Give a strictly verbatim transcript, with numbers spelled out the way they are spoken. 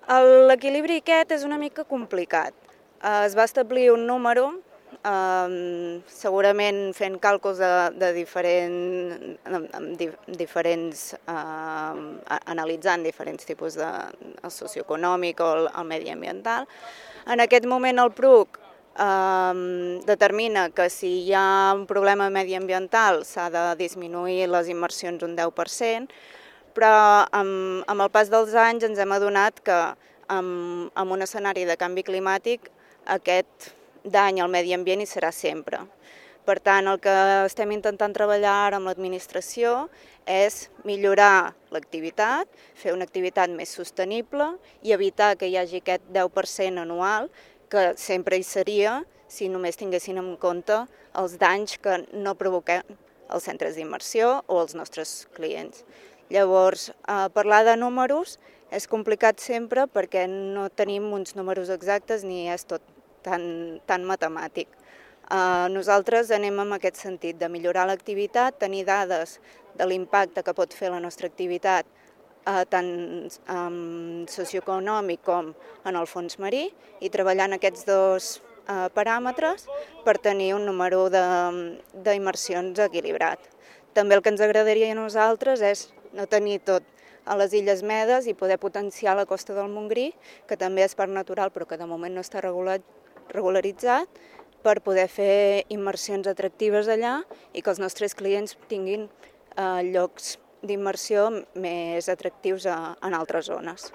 L'equilibri aquest és una mica complicat. Es va establir un número, eh, segurament fent càlculs de, de diferent, diferents, eh, analitzant diferents tipus de el socioeconòmic o el, el mediambiental. En aquest moment el P R U C eh, determina que si hi ha un problema mediambiental s'ha de disminuir les inversions un deu per cent, però amb, amb el pas dels anys ens hem adonat que amb, amb un escenari de canvi climàtic aquest dany al medi ambient hi serà sempre. Per tant, el que estem intentant treballar ara amb l'administració és millorar l'activitat, fer una activitat més sostenible i evitar que hi hagi aquest deu per cent anual, que sempre hi seria si només tinguessin en compte els danys que no provoquem els centres d'immersió o els nostres clients. Llavors, eh, parlar de números és complicat sempre perquè no tenim uns números exactes ni és tot tan, tan matemàtic. Eh, nosaltres anem en aquest sentit de millorar l'activitat, tenir dades de l'impacte que pot fer la nostra activitat eh, tant eh, socioeconòmic com en el fons marí i treballar en aquests dos eh, paràmetres per tenir un número d'immersions equilibrat. També el que ens agradaria a nosaltres és no tenir tot a les Illes Medes i poder potenciar la costa del Montgrí, que també és parc natural però que de moment no està regulat, regularitzat, per poder fer immersions atractives allà i que els nostres clients tinguin eh, llocs d'immersió més atractius a, en altres zones.